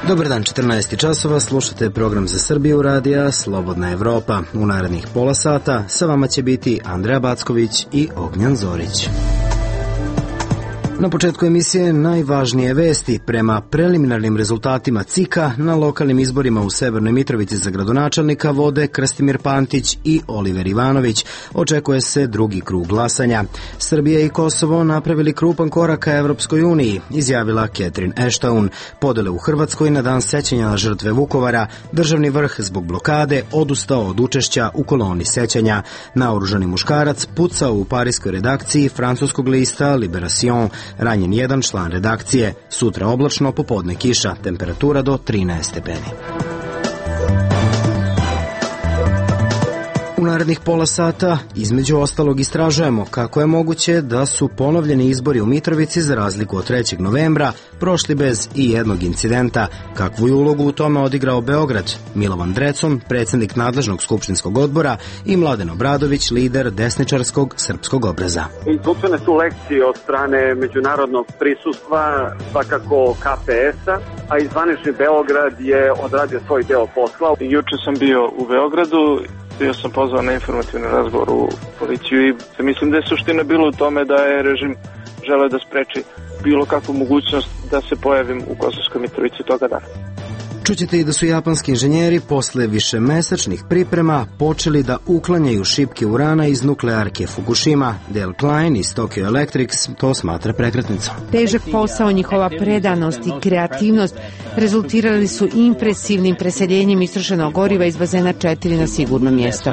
Dobar dan, 14 časova, slušate program za Srbiju radija Slobodna Evropa. U narednih pola sata sa vama će biti Andreja Backović i Ognjan Zorić. Na početku emisije najvažnije vesti. Prema preliminarnim rezultatima CIK-a na lokalnim izborima u Severnoj Mitrovici za gradonačelnika vode Krstimir Pantić i Oliver Ivanović. Očekuje se drugi krug glasanja. Srbija i Kosovo napravili krupan korak ka Evropskoj uniji, izjavila Catherine Ashton. Podele u Hrvatskoj na dan sećanja na žrtve Vukovara, državni vrh zbog blokade odustao od učešća u koloni sećanja. Naoružani muškarac pucao u parijskoj redakciji francuskog lista Libération. Ranjen jedan član redakcije. Sutra oblačno, popodne kiša. Temperatura do 13 stepeni. U narednih pola sata, između ostalog, istražujemo kako je moguće da su ponovljeni izbori u Mitrovici za razliku od 3. novembra prošli bez i jednog incidenta. Kakvu je ulogu u tome odigrao Beograd? Milovan Drecun, predsjednik nadležnog skupštinskog odbora, i Mladen Obradović, lider desničarskog srpskog obraza. Izvučene su lekcije od strane međunarodnog prisustva, svakako KPS-a, a i zvanični Beograd je odradio svoj deo posla. Juče sam bio u Beogradu. Bio sam pozvan na informativni razgovor u policiju i mislim da je suština bila u tome da je režim želeo da spreči bilo kakvu mogućnost da se pojavim u Kosovskoj Mitrovici toga dana. Čućete i da su japanski inženjeri posle višemesečnih priprema počeli da uklanjaju šipke urana iz nuklearke Fukushima. Dale Klein iz Tokyo Electric to smatra prekretnicom. Težak posao, njihova predanost i kreativnost rezultirali su impresivnim preseljenjem istrošenog goriva iz bazena 4 na sigurno mjesto.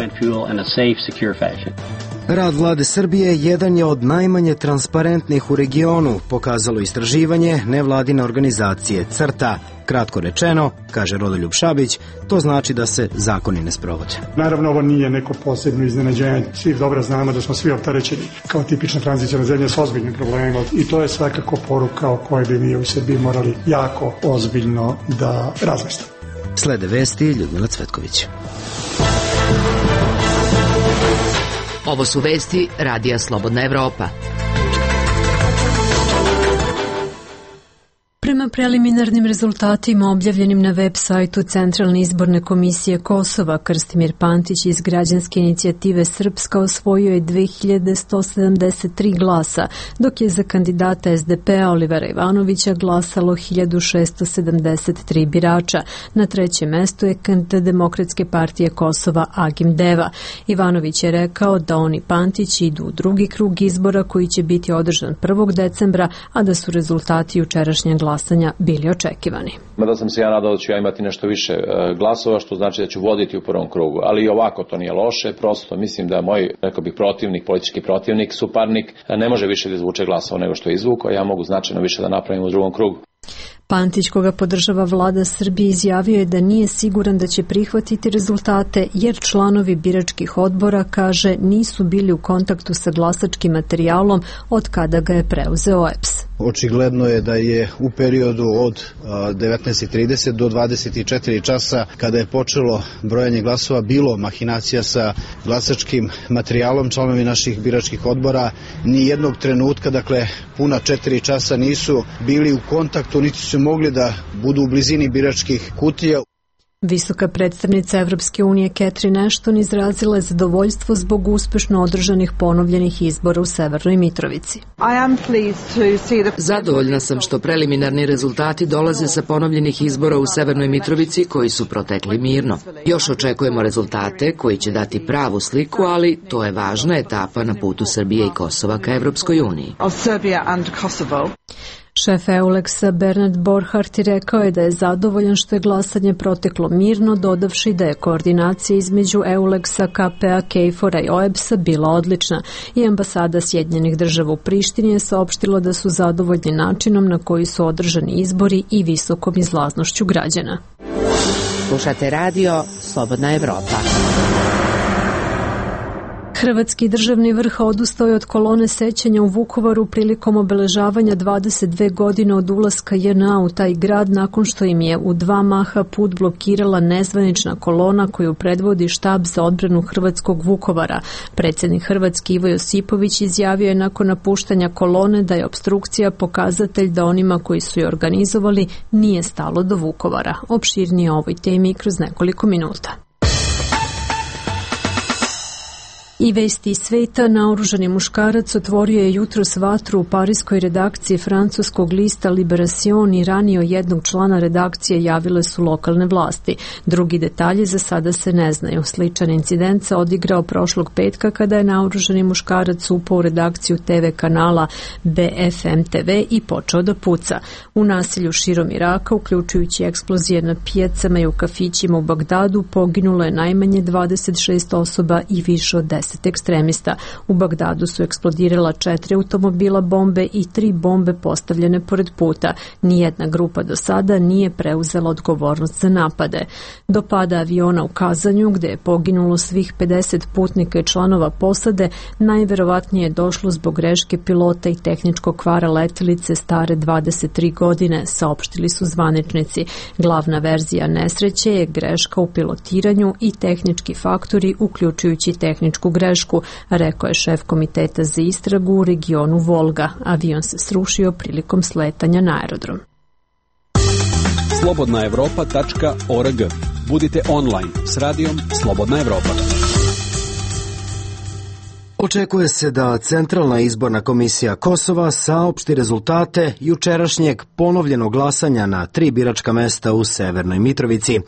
Rad vlade Srbije jedan je od najmanje transparentnih u regionu, pokazalo istraživanje nevladine organizacije CRTA. Kratko rečeno, kaže Rodoljub Šabić, to znači da se zakoni ne sprovode. Naravno, ovo nije neko posebno iznenađenje. Svi dobro znamo da smo svi opterećeni kao tipična tranzicijna zemlja s ozbiljnim problemima i to je svakako poruka o kojoj bi mi u Srbiji morali jako ozbiljno da razmislimo. Slede vesti Ljudmila Cvetković. Ovo su vesti radija Slobodna Evropa. Prema preliminarnim rezultatima objavljenim na web sajtu Centralne izborne komisije Kosova, Krstimir Pantić iz građanske inicijative Srpska osvojio je 2173 glasa, dok je za kandidata SDP-a Olivera Ivanovića glasalo 1673 birača. Na trećem mestu je kandidat Demokratske partije Kosova Agim Deva. Ivanović je rekao da on i Pantić idu u drugi krug izbora koji će biti održan 1. decembra, a da su rezultati jučerašnjeg glasanja bili očekivani. Mada sam se ja nadao da ću ja imati nešto više glasova, što znači da ću voditi u prvom krugu, ali i ovako to nije loše, prosto mislim da moj, rekao bih, protivnik, politički protivnik, suparnik, ne može više da izvuče glasova nego što je izvukao, ja mogu značajno više da napravim u drugom krugu. Pantić, koga podržava vlada Srbije, izjavio je da nije siguran da će prihvatiti rezultate jer članovi biračkih odbora, kaže, nisu bili u kontaktu sa glasačkim materijalom od kada ga je preuzeo EPS. Očigledno je da je u periodu od 19:30 do 24 časa, kada je počelo brojanje glasova, bilo mahinacija sa glasačkim materijalom. Članovi naših biračkih odbora ni jednog trenutka, dakle puna 4 časa, nisu bili u kontaktu, niti su mogli da budu u blizini biračkih kutija. Visoka predstavnica Evropske unije Catherine Ashton izrazila je zadovoljstvo zbog uspešno održanih ponovljenih izbora u Severnoj Mitrovici. Zadovoljna sam što preliminarni rezultati dolaze sa ponovljenih izbora u Severnoj Mitrovici koji su protekli mirno. Još očekujemo rezultate koji će dati pravu sliku, ali to je važna etapa na putu Srbije i Kosova ka Evropskoj uniji. Šef EULEX-a Bernard Borchardt rekao je da je zadovoljan što je glasanje proteklo mirno, dodavši da je koordinacija između EULEX-a, KPA, KFOR-a i OEBS-a bila odlična i ambasada Sjedinjenih država u Prištini je saopštila da su zadovoljni načinom na koji su održani izbori i visokom izlaznošću građana. Slušate radio Slobodna Evropa. Hrvatski državni vrh odustao je od kolone sećanja u Vukovaru prilikom obeležavanja 22 godine od ulaska JNA u taj grad nakon što im je u 2 maha put blokirala nezvanična kolona koju predvodi štab za odbranu hrvatskog Vukovara. Predsjednik Hrvatske Ivo Josipović izjavio je nakon napuštanja kolone da je opstrukcija pokazatelj da onima koji su je organizovali nije stalo do Vukovara. Opširnije o ovoj temi kroz nekoliko minuta. I vesti iz sveta, naoružani muškarac otvorio je jutros vatru u parijskoj redakciji francuskog lista Libération i ranio jednog člana redakcije, javile su lokalne vlasti. Drugi detalji za sada se ne znaju. Sličan incident se odigrao prošlog petka kada je naoružani muškarac upao u redakciju TV kanala BFM TV i počeo da puca. U nasilju širom Iraka, uključujući eksplozije na pijacama i u kafićima u Bagdadu, poginulo je najmanje 26 osoba i više od 10 ekstremista. U Bagdadu su eksplodirala 4 automobila bombe i 3 bombe postavljene pored puta. Nijedna grupa do sada nije preuzela odgovornost za napade. Do pada aviona u Kazanju, gde je poginulo svih 50 putnika i članova posade, najverovatnije je došlo zbog greške pilota i tehničkog kvara letelice stare 23 godine, saopštili su zvaničnici. Glavna verzija nesreće je greška u pilotiranju i tehnički faktori, uključujući tehničku grešku, rekao je šef komiteta za istragu u regionu Volga. Avion se srušio prilikom sletanja na aerodrom. Slobodnaevropa.org. Budite online s radijom Slobodna Evropa. Očekuje se da Centralna izborna komisija Kosova saopšti rezultate jučerašnjeg ponovljenog glasanja na 3 biračka mesta u Severnoj Mitrovici.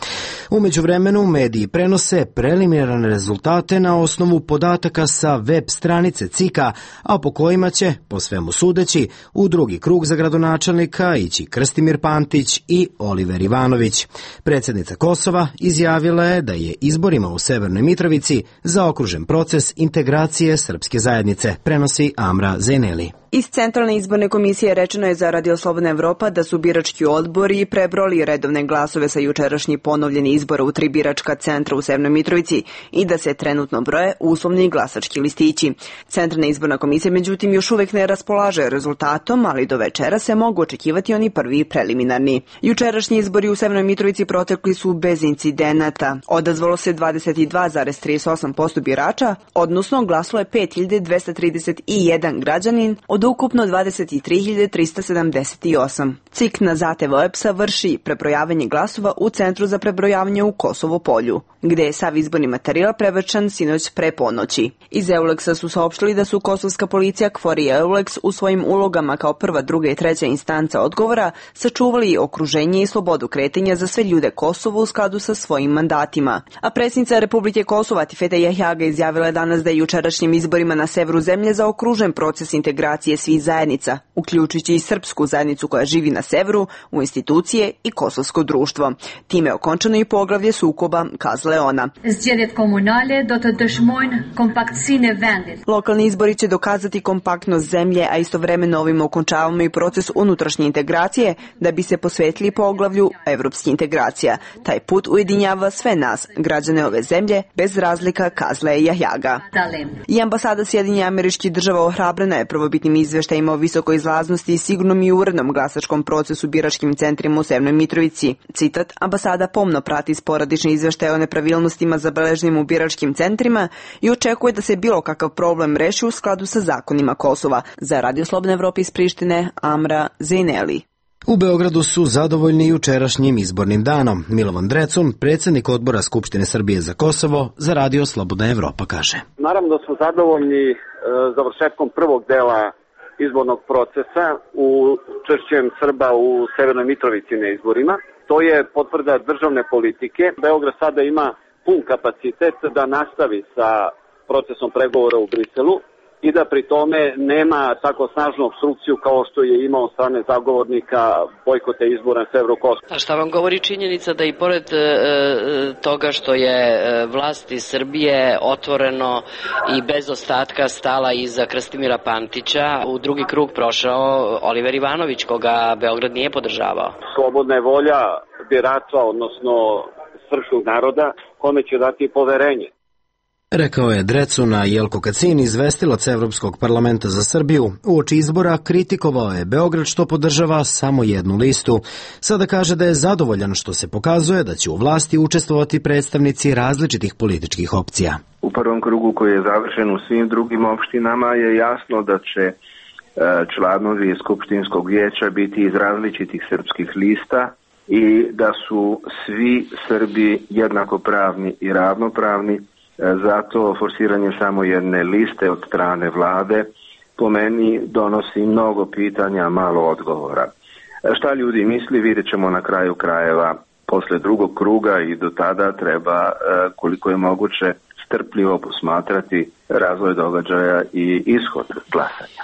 U međuvremenu mediji prenose preliminarne rezultate na osnovu podataka sa web stranice CIK-a, a po kojima će, po svemu sudeći, u drugi krug za gradonačelnika ići Krstimir Pantić i Oliver Ivanović. Predsjednica Kosova izjavila je da je izborima u Severnoj Mitrovici zaokružen proces integracije srpske zajednice, prenosi Amra Zeneli. Iz Centralne izborne komisije rečeno je za Radio Slobodna Evropa da su birački odbori prebrojali redovne glasove sa jučerašnji ponovljeni izbora u 3 biračka centra u Severnoj Mitrovici i da se trenutno broje uslovni glasački listići. Centralna izborna komisija međutim još uvek ne raspolaže rezultatom, ali do večera se mogu očekivati oni prvi preliminarni. Jučerašnji izbori u Severnoj Mitrovici protekli su bez incidenata. Odazvalo se 22,38% birača, odnosno glasalo je 5231 građanin od ukupno 23.378. CIK na zahtev OEBS-a vrši prebrojavanje glasova u Centru za prebrojavanje u Kosovo Polju, gde je sav izborni materijal prevršan sinoć pre ponoći. Iz Euleksa su saopštili da su kosovska policija, KFOR i Euleks u svojim ulogama kao prva, druga i treća instanca odgovora sačuvali okruženje i slobodu kretanja za sve ljude Kosova u skladu sa svojim mandatima. A predsjednica Republike Kosova Tifeta Jahjaga izjavila je danas da je jučerašnjim izborima na severu zemlje zaokružen proces integracije svih zajednica, uključujući i srpsku zajednicu koja živi na severu, u institucije i kosovsko društvo. Time je okončano i poglavlje sukoba, kazala je ona. Lokalni izbori će dokazati kompaktnost zemlje, a istovremeno ovim okončavamo i proces unutrašnje integracije da bi se posvetili poglavlju evropskih integracija. Taj put ujedinjava sve nas, građane ove zemlje, bez razlika, kazala je Jahjaga. I ambasada Sjedinjenih Američkih Država ohrabrena je prvobitnim izveštajima o visokoj izlaznosti i sigurnom i urednom glasačkom procesu biračkim centrima u Severnoj Mitrovici. Citat, ambasada pomno prati sporadične izveštaje o nepravilnostima zabeleženim u biračkim centrima i očekuje da se bilo kakav problem reši u skladu sa zakonima Kosova. Za Radio Slobodna Evropa iz Prištine, Amra Zeneli. U Beogradu su zadovoljni jučerašnjim izbornim danom. Milovan Drecun, predsjednik odbora Skupštine Srbije za Kosovo, za Radio Slobodna Evropa kaže. Naravno da smo zadovoljni završetkom prvog dela izbornog procesa u učešćem Srba u Severnoj Mitrovici na izborima. To je potvrda državne politike. Beograd sada ima pun kapacitet da nastavi sa procesom pregovora u Briselu i da pri tome nema tako snažnu opstrukciju kao što je imao od strane zagovornika bojkote izbora na severu Kosova. A šta vam govori činjenica da i pored toga što je vlast iz Srbije otvoreno i bez ostatka stala iza Krstimira Pantića, u drugi krug prošao Oliver Ivanović, koga Beograd nije podržavao? Slobodna je volja birača, odnosno srpskog naroda, kome će dati poverenje. Rekao je Drecuna Jelko Kacin, izvestilac Evropskog parlamenta za Srbiju. Uoči izbora kritikovao je Beograd što podržava samo jednu listu. Sada kaže da je zadovoljan što se pokazuje da će u vlasti učestvovati predstavnici različitih političkih opcija. U prvom krugu koji je završen u svim drugim opštinama je jasno da će članovi Skupštinskog vijeća biti iz različitih srpskih lista i da su svi Srbi jednakopravni i ravnopravni. Zato forsiranje samo jedne liste od strane vlade po meni donosi mnogo pitanja, malo odgovora. Šta ljudi misli, vidjet ćemo na kraju krajeva posle drugog kruga i do tada treba koliko je moguće strpljivo posmatrati razvoj događaja i ishod glasanja.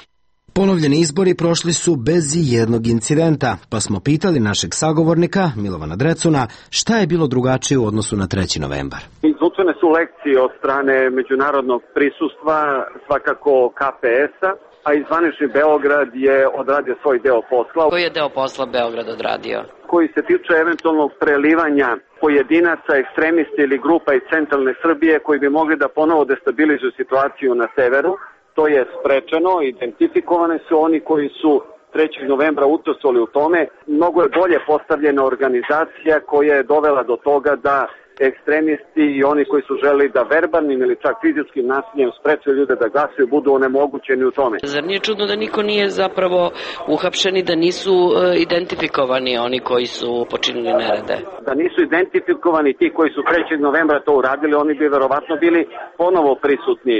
Ponovljeni izbori prošli su bez jednog incidenta, pa smo pitali našeg sagovornika Milovana Drecuna šta je bilo drugačije u odnosu na 3. novembar. Izvučene su lekcije od strane međunarodnog prisustva, svakako KPS-a, a i zvanični Beograd je odradio svoj deo posla. Koji je deo posla Beograd odradio? Koji se tiče eventualnog prelivanja pojedinaca, ekstremista ili grupa iz centralne Srbije koji bi mogli da ponovo destabilizuju situaciju na severu. To je sprečeno, identifikovane su oni koji su 3. novembra učestvovali u tome. Mnogo je bolje postavljena organizacija koja je dovela do toga da ekstremisti i oni koji su želeli da verbalnim ili čak fizičkim nasiljem spreče ljude da glasuju budu onemogućeni u tome. Zar nije čudno da niko nije zapravo uhapšen i da nisu identifikovani oni koji su počinili nerede? Da nisu identifikovani ti koji su 3. novembra to uradili, oni bi verovatno bili ponovo prisutni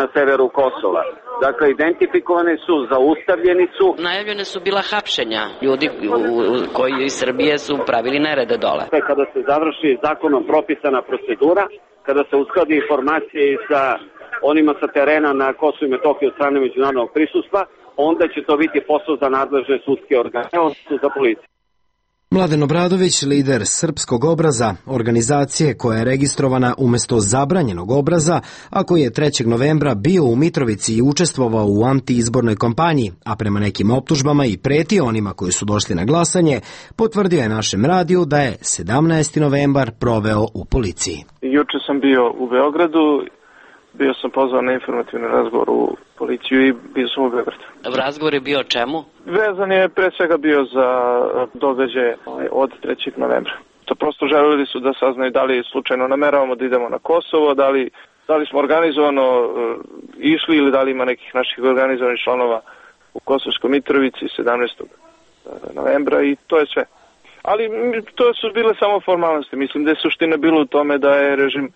na severu Kosova. Dakle, identifikovane su, zaustavljeni su. Najavljene su bila hapšenja ljudi koji iz Srbije su pravili nerede dole. Kada se završi zakonom propisana procedura, kada se uskladi informacije i sa onima sa terena na Kosovu i Metohiji od strane međunarodnog prisustva, onda će to biti posao za nadležne sudske organe, odnosno za policiju. Mladen Obradović, lider Srpskog obraza, organizacije koja je registrovana umesto zabranjenog obraza, a koji je 3. novembra bio u Mitrovici i učestvovao u antiizbornoj kampanji, a prema nekim optužbama i pretio onima koji su došli na glasanje, potvrdio je našem radiju da je 17. novembar proveo u policiji. Juče sam bio u Beogradu, bio sam pozvan na informativni razgovor u policiju i bio sam u Beogradu. Razgovor je bio o čemu? Vezan je pre svega bio za događaje od 3. novembra. To prosto želeli su da saznaju da li slučajno nameravamo da idemo na Kosovo, da li smo organizovano išli ili da li ima nekih naših organizovanih članova u Kosovskoj Mitrovici 17. novembra i to je sve. Ali to su bile samo formalnosti. Mislim da je suština bila u tome da je režim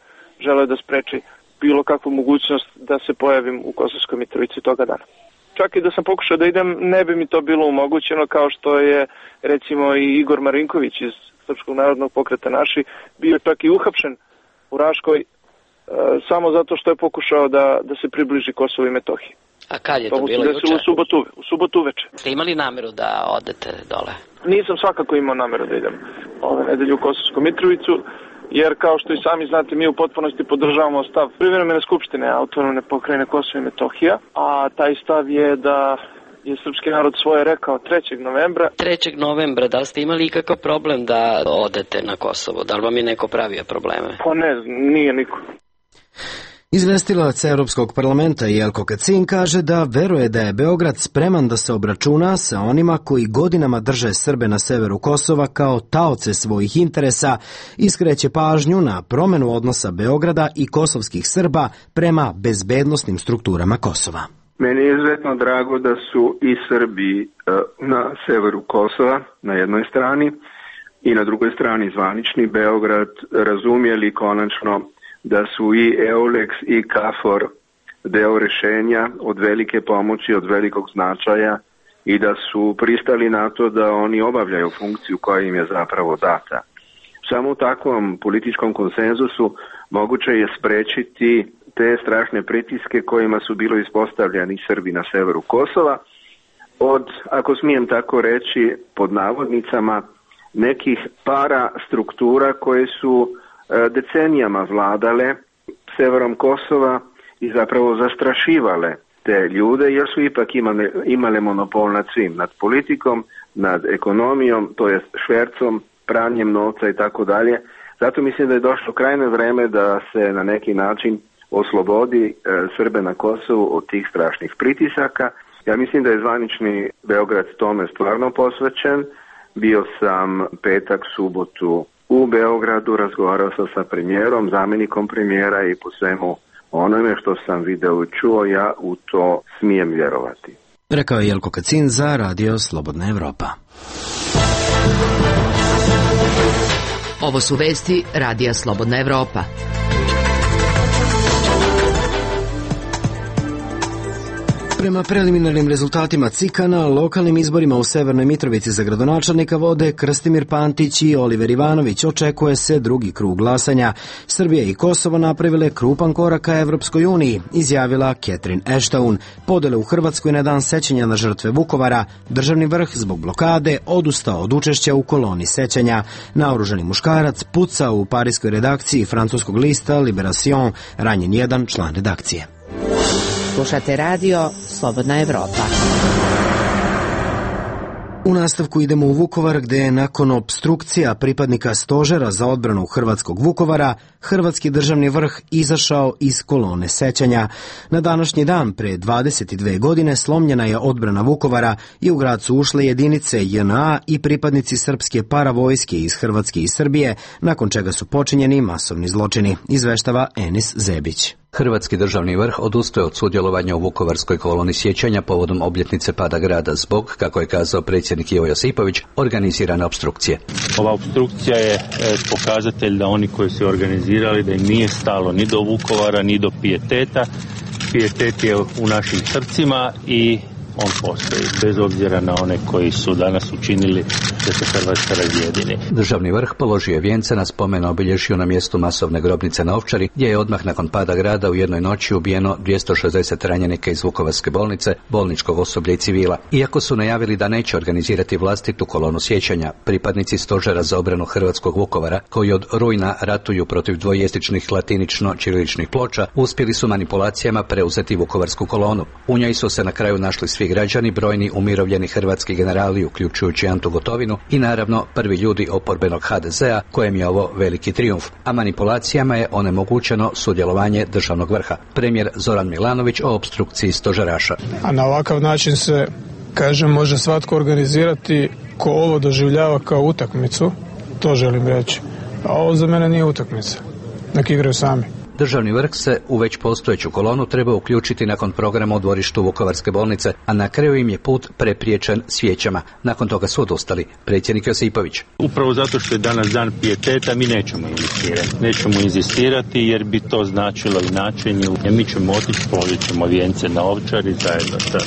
želeo da spreči bilo kakvu mogućnost da se pojavim u Kosovskoj Mitrovici toga dana. Čak i da sam pokušao da idem, ne bi mi to bilo omogućeno, kao što je recimo i Igor Marinković iz Srpskog narodnog pokreta Naši bio čak i uhapšen u Raškoj samo zato što je pokušao da se približi Kosovu i Metohiji. A kad je to bilo juče? U subotu uveče. Ste imali nameru da odete dole? Nisam svakako imao nameru da idem ove nedelje u Kosovsku Mitrovicu, jer kao što i sami znate, mi u potpunosti podržavamo stav privremene skupštine autonomne pokrajine Kosova i Metohija, a taj stav je da je srpski narod svoje rekao 3. novembra. 3. novembra, da li ste imali ikakav problem da odete na Kosovo? Da li vam je neko pravio probleme? Pa ne, nije niko. Izvestilac Evropskog parlamenta Jelko Kacin kaže da veruje da je Beograd spreman da se obračuna sa onima koji godinama drže Srbe na severu Kosova kao taoce svojih interesa i skreće pažnju na promenu odnosa Beograda i kosovskih Srba prema bezbednosnim strukturama Kosova. Meni je izuzetno drago da su i Srbi na severu Kosova na jednoj strani i na drugoj strani zvanični Beograd razumjeli konačno da su i EULEX i KFOR deo rešenja od velike pomoći, od velikog značaja i da su pristali na to da oni obavljaju funkciju koja im je zapravo data. Samo u takvom političkom konsenzusu moguće je sprečiti te strašne pritiske kojima su bilo ispostavljeni Srbi na severu Kosova od, ako smijem tako reći, pod navodnicama, nekih para struktura koje su decenijama vladale severom Kosova i zapravo zastrašivale te ljude jer su ipak imale monopol nad svim, nad politikom, nad ekonomijom, to jest švercom, pranjem novca i tako dalje. Zato mislim da je došlo krajnje vreme da se na neki način oslobodi Srbe na Kosovu od tih strašnih pritisaka. Ja mislim da je zvanični Beograd tome stvarno posvećen. Bio sam petak, subotu u Beogradu, razgovarao sam sa premijerom, zamjenikom premijera i po svemu onome što sam video i čuo, ja u to smijem vjerovati. Rekao je Jelko Kacin za Radio Slobodna Evropa. Ovo su vesti Radija Slobodna Evropa. Prema preliminarnim rezultatima CIK-a na lokalnim izborima u Severnoj Mitrovici za gradonačelnika vode Krstimir Pantić i Oliver Ivanović. Očekuje se drugi krug glasanja. Srbija i Kosovo napravile krupan korak ka Evropskoj uniji, izjavila Catherine Ashton. Podele u Hrvatskoj na dan sećanja na žrtve Vukovara. Državni vrh zbog blokade odustao od učešća u koloni sećanja. Naoružani muškarac pucao u parijskoj redakciji francuskog lista Liberation, ranjen jedan član redakcije. Slušate radio Slobodna Evropa. U nastavku idemo u Vukovar, gde je nakon opstrukcija pripadnika stožera za odbranu hrvatskog Vukovara, hrvatski državni vrh izašao iz kolone sećanja. Na današnji dan, pre 22 godine, slomljena je odbrana Vukovara i u grad su ušle jedinice JNA i pripadnici srpske paravojske iz Hrvatske i Srbije, nakon čega su počinjeni masovni zločini, izveštava Enis Zebić. Hrvatski državni vrh odustaje od sudjelovanja u Vukovarskoj koloni sjećanja povodom obljetnice pada grada zbog, kako je kazao predsjednik Ivo Josipović, organizirane opstrukcije. Ova opstrukcija je pokazatelj da oni koji su organizirali da im nije stalo ni do Vukovara, ni do pijeteta. Pijetet je u našim srcima i on postoji, bez obzira na one koji su danas učinili da se Hrvatska razjedini. Državni vrh položio je vijence na spomen obilježju na mjestu masovne grobnice na Ovčari, gdje je odmah nakon pada grada u jednoj noći ubijeno 260 ranjenika iz Vukovarske bolnice, bolničkog osoblja i civila. Iako su najavili da neće organizirati vlastitu kolonu sjećanja, pripadnici stožera za obranu hrvatskog Vukovara, koji od rujna ratuju protiv dvojezičnih latinično-ćiriličnih ploča, uspjeli su manipulacijama preuzeti Vukovarsku kolonu. U njoj su se na kraju našli svi građani, brojni umirovljeni hrvatski generali, uključujući Antu Gotovinu i naravno prvi ljudi oporbenog HDZ-a, kojem je ovo veliki trijumf, a manipulacijama je onemogućeno sudjelovanje državnog vrha. Premijer Zoran Milanović o opstrukciji stožeraša. A na ovakav način se, kažem, može svatko organizirati ko ovo doživljava kao utakmicu, to želim reći. A ovo za mene nije utakmica. Nek igraju sami. Državni vrh se u već postojeću kolonu treba uključiti nakon programa u dvorištu Vukovarske bolnice, a na kraju im je put prepriječen svijećama. Nakon toga su odustali. Predsjednik Josipović. Upravo zato što je danas dan pijeteta, mi nećemo inzistirati jer bi to značilo inačenje. Mi ćemo otići, položit ćemo vijence na Ovčari zajedno sa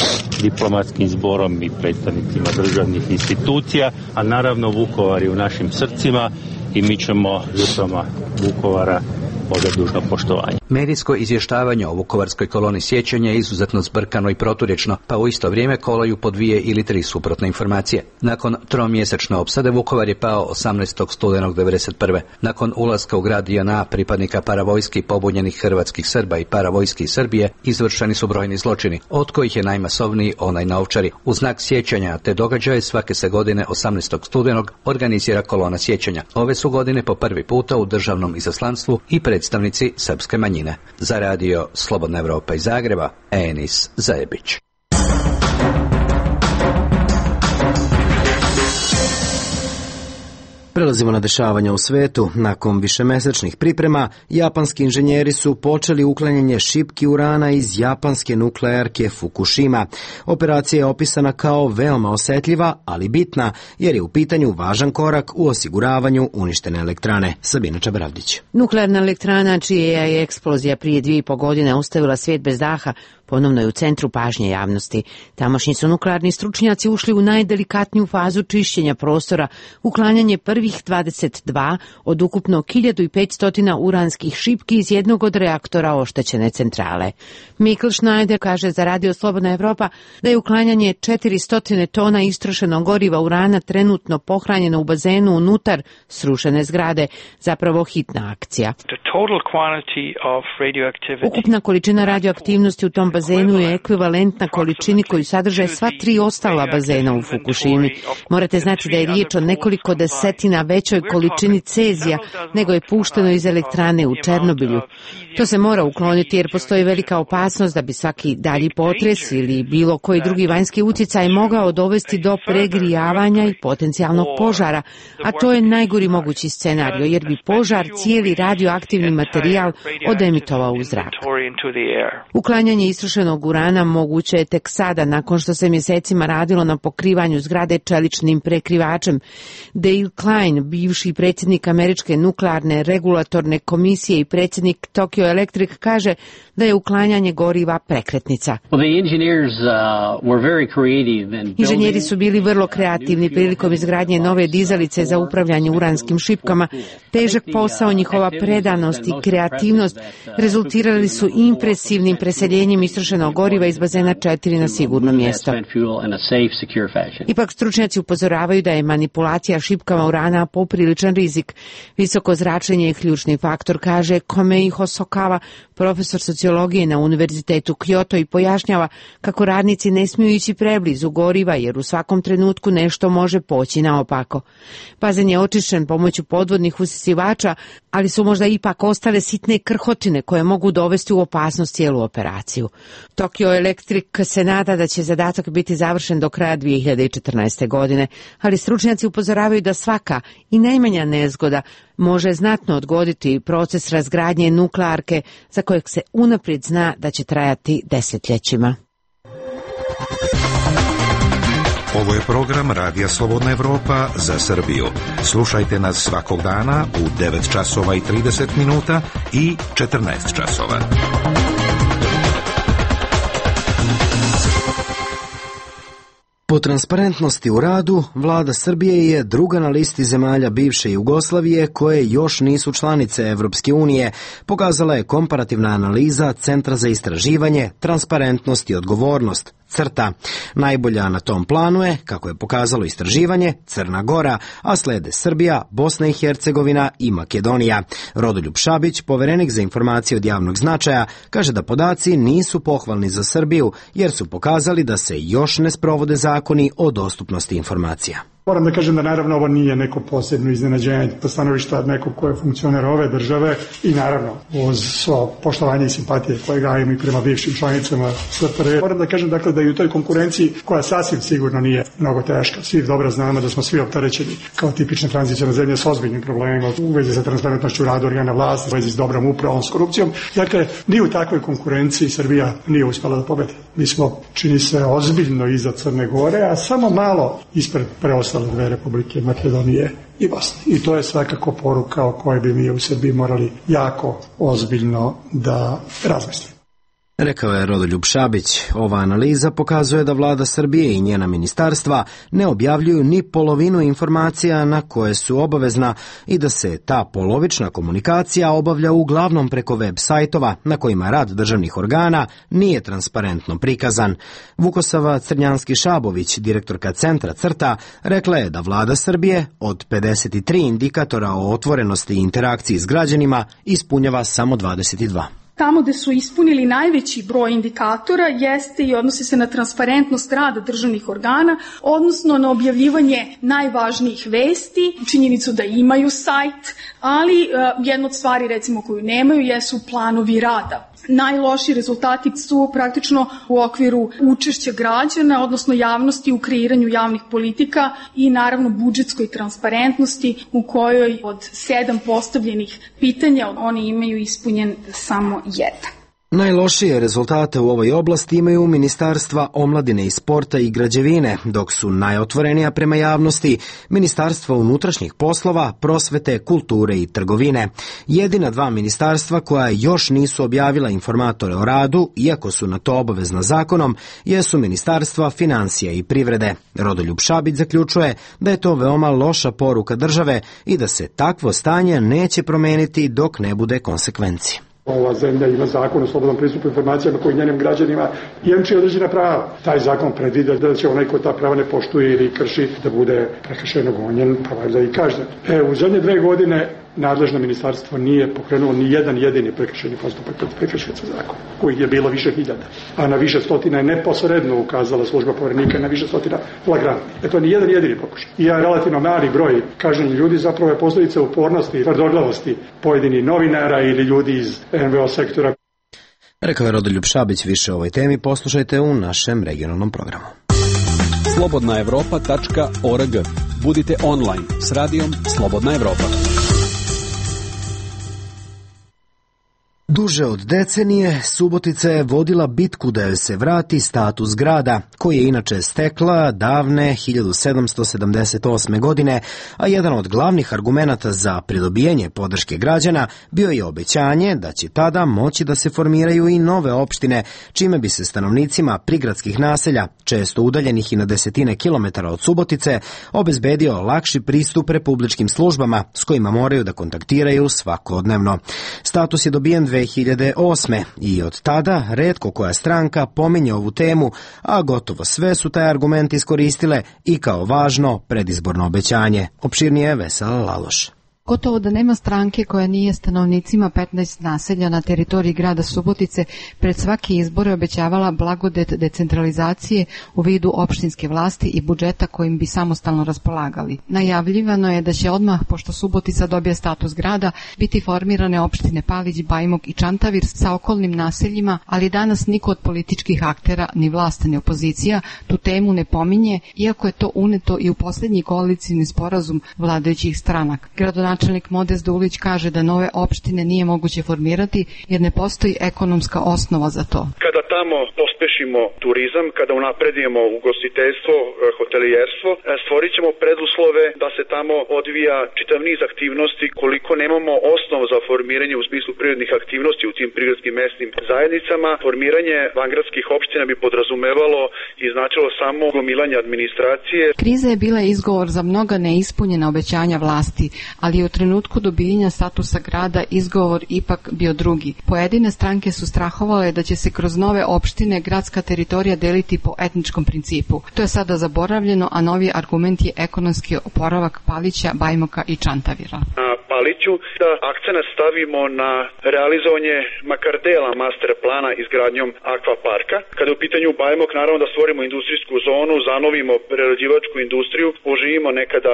diplomatskim zborom i predstavnicima državnih institucija, a naravno Vukovar je u našim srcima i mi ćemo žrtvama Vukovara odati dužno poštovanje. Medijsko izvještavanje o Vukovarskoj koloni sjećanja je izuzetno zbrkano i proturječno, pa u isto vrijeme kolaju po 2 ili 3 suprotne informacije. Nakon tromjesečne opsade Vukovar je pao 18. studenog 1991. Nakon ulaska u grad JNA pripadnika paravojski pobunjenih hrvatskih Srba i paravojski Srbije izvršeni su brojni zločini, od kojih je najmasovniji onaj na Ovčari. U znak sjećanja te događaje svake se godine 18. studenog organizira kolona sjećanja. Ove su godine po prvi puta u državnom izaslanstvu i predstavnici srpske manjine. Za radio Slobodna Evropa iz Zagreba, Enis Zajebić. Prelazimo na dešavanja u svetu. Nakon višemesečnih priprema, japanski inženjeri su počeli uklanjanje šipki urana iz japanske nuklearke Fukushima. Operacija je opisana kao veoma osetljiva, ali bitna, jer je u pitanju važan korak u osiguravanju uništene elektrane. Sabina Čabravdić. Nuklearna elektrana, čija je eksplozija prije 2,5 godine ostavila svijet bez daha, ponovno je u centru pažnje javnosti. Tamošnji su nuklearni stručnjaci ušli u najdelikatniju fazu čišćenja prostora, uklanjanje prvih 22 od ukupno 1500 uranskih šipki iz jednog od reaktora oštećene centrale. Mikl Schneider kaže za Radio Slobodna Evropa da je uklanjanje 400 tona istrošenog goriva urana trenutno pohranjeno u bazenu unutar srušene zgrade, zapravo hitna akcija. Ukupna količina radioaktivnosti u tom bazenu je ekvivalentna količini koju sadrže sva 3 ostala bazena u Fukushimi. Morate znati da je riječ o nekoliko desetina na većoj količini cezija nego je pušteno iz elektrane u Černobilju. To se mora ukloniti jer postoji velika opasnost da bi svaki dalji potres ili bilo koji drugi vanjski utjecaj mogao dovesti do pregrijavanja i potencijalnog požara, a to je najgori mogući scenario jer bi požar cijeli radioaktivni materijal odemitovao u zrak. Uklanjanje istrošenog urana moguće je tek sada nakon što se mjesecima radilo na pokrivanju zgrade čeličnim prekrivačem. Dale Klein, bivši predsjednik Američke nuklearne regulatorne komisije i predsjednik Tokyo Electric, kaže da je uklanjanje goriva prekretnica. Inženjeri su bili vrlo kreativni prilikom izgradnje nove dizalice za upravljanje uranskim šipkama. Težak posao, njihova predanost i kreativnost rezultirali su impresivnim preseljenjem istrošenog goriva iz bazena 4 na sigurno mjesto. Ipak stručnjaci upozoravaju da je manipulacija šipkama urana popriličan rizik. Visoko zračenje je ključni faktor, kaže Komei Hosokawa, profesor sociologije na Univerzitetu Kyoto, i pojašnjava kako radnici ne smiju ići preblizu goriva jer u svakom trenutku nešto može poći naopako. Bazen je očišćen pomoću podvodnih usisivača, ali su možda ipak ostale sitne krhotine koje mogu dovesti u opasnost cijelu operaciju. Tokyo Electric se nada da će zadatak biti završen do kraja 2014. godine, ali stručnjaci upozoravaju da svaka i najmanja nezgoda može znatno odgoditi proces razgradnje nuklearke za kojeg se unaprijed zna da će trajati desetljećima. Ovo je program Radija Slobodna Evropa za Srbiju. Slušajte nas svakog dana u 9 časova i 30 minuta i 14 časova. Po transparentnosti u radu, vlada Srbije je druga na listi zemalja bivše Jugoslavije koje još nisu članice Evropske unije, pokazala je komparativna analiza Centra za istraživanje, transparentnost i odgovornost, CRTA. Najbolja na tom planu je, kako je pokazalo istraživanje, Crna Gora, a slede Srbija, Bosna i Hercegovina i Makedonija. Rodoljub Šabić, poverenik za informacije od javnog značaja, kaže da podaci nisu pohvalni za Srbiju jer su pokazali da se još ne sprovode zakoni o dostupnosti informacija. Moram da kažem da naravno ovo nije neko posebno iznenađenje po stanovišta nekog ko je funkcioner ove države i naravno uz svo poštovanje i simpatije koje gajim i prema bivšim članicama SFRJ. Moram da kažem dakle da i u toj konkurenciji koja sasvim sigurno nije mnogo teška. Svi dobro znamo da smo svi opterećeni kao tipične tranzicijne zemlje s ozbiljnim problemima u vezi sa transparentnošću rada organa vlasti, u vezi s dobrom upravom, s korupcijom. Dakle, ni u takvoj konkurenciji Srbija nije uspjela da pobedi. Mi smo, čini se, ozbiljno iza Crne Gore, a samo malo ispred preostale dve republike, Makedonije i Bosne. I to je svakako poruka o kojoj bi mi u Srbiji morali jako ozbiljno da razmislimo. Rekao je Rodoljub Šabić. Ova analiza pokazuje da vlada Srbije i njena ministarstva ne objavljuju ni polovinu informacija na koje su obavezna i da se ta polovična komunikacija obavlja uglavnom preko web sajtova na kojima rad državnih organa nije transparentno prikazan. Vukosava Crnjanski-Šabović, direktorka Centra CRTA, rekla je da vlada Srbije od 53 indikatora o otvorenosti i interakciji s građanima ispunjava samo 22. Tamo gde su ispunili najveći broj indikatora jeste i odnosi se na transparentnost rada državnih organa, odnosno na objavljivanje najvažnijih vesti, činjenicu da imaju sajt, ali jedna od stvari recimo koju nemaju jesu planovi rada. Najlošiji rezultati su praktično u okviru učešća građana, odnosno javnosti u kreiranju javnih politika i naravno budžetskoj transparentnosti u kojoj od 7 postavljenih pitanja oni imaju ispunjen samo jedan. Najlošije rezultate u ovoj oblasti imaju ministarstva omladine i sporta i građevine, dok su najotvorenija prema javnosti ministarstva unutrašnjih poslova, prosvete, kulture i trgovine. Jedina dva ministarstva koja još nisu objavila informatore o radu, iako su na to obavezna zakonom, jesu ministarstva financija i privrede. Rodoljub Šabić zaključuje da je to veoma loša poruka države i da se takvo stanje neće promeniti dok ne bude konsekvenci. Ova zemlja ima zakon o slobodnom pristupu informacijama koji njenim građanima jemči određena prava. Taj zakon predviđa da će onaj ko ta prava ne poštuje ili krši da bude prekršajno gonjen, pa valjda i kažnjen. U zadnje 2 godine nadležno ministarstvo nije pokrenulo ni jedan jedini prekršajni postupak protiv prekršioca zakona, kojih je bilo više hiljada, a na više stotina je neposredno ukazala služba Poverenika, na više stotina flagrantni. To je ni jedan jedini pokušaj. I ja relativno mali broj kažnjenih ljudi zapravo je posljedica upornosti i tvrdoglavosti pojedinih novinara ili ljudi iz NVO sektora. Rekao je Rodoljub Šabić. Više o ovoj temi poslušajte u našem regionalnom programu. slobodnaevropa.org. Budite online s radijom Slobodna Evropa. Duže od decenije Subotica je vodila bitku da joj se vrati status grada, koji je inače stekla davne 1778. godine, a jedan od glavnih argumenata za pridobijanje podrške građana bio je obećanje da će tada moći da se formiraju i nove opštine, čime bi se stanovnicima prigradskih naselja, često udaljenih i na desetine kilometara od Subotice, obezbedio lakši pristup republičkim službama s kojima moraju da kontaktiraju svakodnevno. Status je dobijen 2008. i od tada retko koja stranka pominje ovu temu, a gotovo sve su taj argument iskoristile i kao važno predizborno obećanje. Opširnije Vesela Laloš. Gotovo da nema stranke koja nije stanovnicima 15 naselja na teritoriji grada Subotice pred svake izbore obećavala blagodet decentralizacije u vidu opštinske vlasti i budžeta kojim bi samostalno raspolagali. Najavljivano je da će odmah, pošto Subotica dobije status grada, biti formirane opštine Palić, Bajmok i Čantavir sa okolnim naseljima, ali danas niko od političkih aktera, ni vlast ni opozicija, tu temu ne pominje, iako je to uneto i u poslednji koalicioni sporazum vladajućih stranaka. Načelnik Modest Dulić kaže da nove opštine nije moguće formirati jer ne postoji ekonomska osnova za to. Kada tamo pospešimo turizam, kada unapredimo ugostiteljstvo, hotelijerstvo, stvorit ćemo preduslove da se tamo odvija čitav niz aktivnosti. Koliko nemamo osnov za formiranje u smislu prirodnih aktivnosti u tim prigradskim mesnim zajednicama, formiranje vangradskih opština bi podrazumevalo i značilo samo gomilanje administracije. Kriza je bila izgovor za mnoga neispunjena obećanja vlasti, ali u trenutku dobijenja statusa grada izgovor ipak bio drugi. Pojedine stranke su strahovale da će se kroz nove opštine gradska teritorija deliti po etničkom principu. To je sada zaboravljeno, a novi argument je ekonomski oporavak Palića, Bajmoka i Čantavira. Paliću da akcenat stavimo na realizovanje makar dela master plana izgradnjom akvaparka. Kada je u pitanju Bajmok, naravno da stvorimo industrijsku zonu, zanovimo prerađivačku industriju, oživimo nekada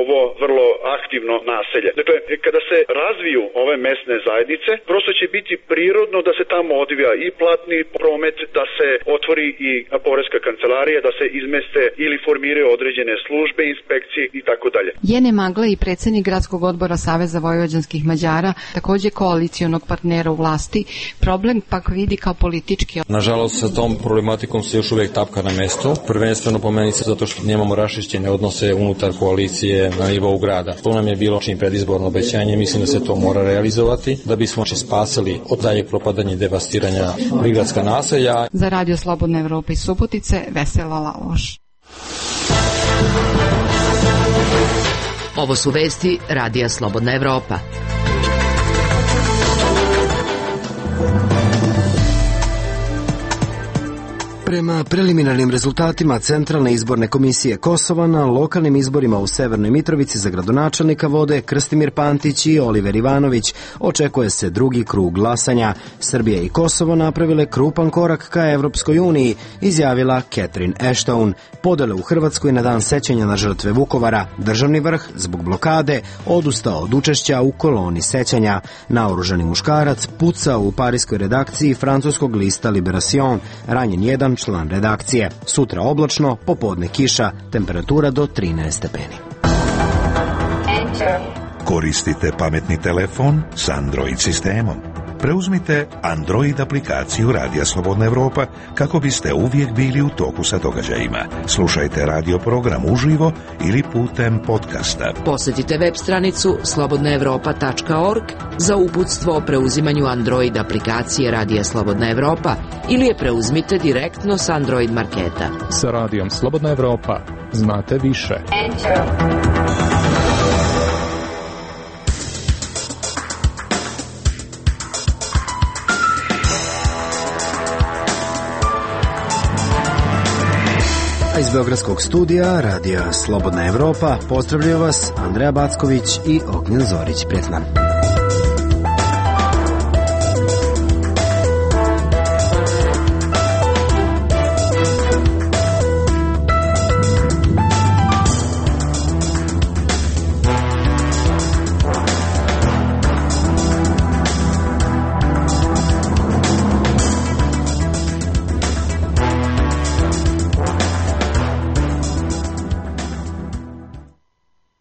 ovo vrlo aktivno naselje. Dakle, kada se razviju ove mesne zajednice, prosto će biti prirodno da se tamo odvija i platni promet, da se otvori i poreska kancelarija, da se izmeste ili formiraju određene službe, inspekcije i tako dalje. Jene Magla i predsednik gradskog odbora Saveza vojvođanskih Mađara, takođe koalicionog partnera u vlasti, problem pak vidi kao politički. Nažalost, sa tom problematikom se još uvijek tapka na mesto, prvenstveno po meni se zato što nemamo rašišćene odnose unutar koalicije na nivou grada. To nam je bilo čim predizborno obećanje, mislim da se to mora realizovati, da bismo spasili od dalje propadanja i devastiranja prigradska naselja. Za Radio Slobodna Evropa iz Subotice, Vesela Laloš. Ovo su vesti Radija Slobodna Evropa. Prema preliminarnim rezultatima Centralne izborne komisije Kosova na lokalnim izborima u Severnoj Mitrovici za gradonačelnika vode Krstimir Pantić i Oliver Ivanović. Očekuje se drugi krug glasanja. Srbija i Kosovo napravile krupan korak ka Evropskoj uniji, izjavila Catherine Ashton. Podele u Hrvatskoj na dan sećanja na žrtve Vukovara. Državni vrh, zbog blokade, odustao od učešća u koloni sećanja. Naoružani muškarac pucao u parijskoj redakciji francuskog lista Liberation. Ranjen jedan član redakcije. Sutra oblačno, popodne kiša, temperatura do 13 stepeni. Koristite pametni telefon s Android sistemom. Preuzmite Android aplikaciju Radija Slobodna Evropa kako biste uvijek bili u toku sa događajima. Slušajte radio program uživo ili putem podcasta. Posjetite web stranicu slobodnaevropa.org za uputstvo o preuzimanju Android aplikacije Radija Slobodna Evropa ili je preuzmite direktno s Android marketa. Sa Radijom Slobodna Evropa znate više. Iz Iz Beogradskog studija Radija Slobodna Evropa pozdravljaju vas Andreja Backović i Ognjen Zorić. Prijatno.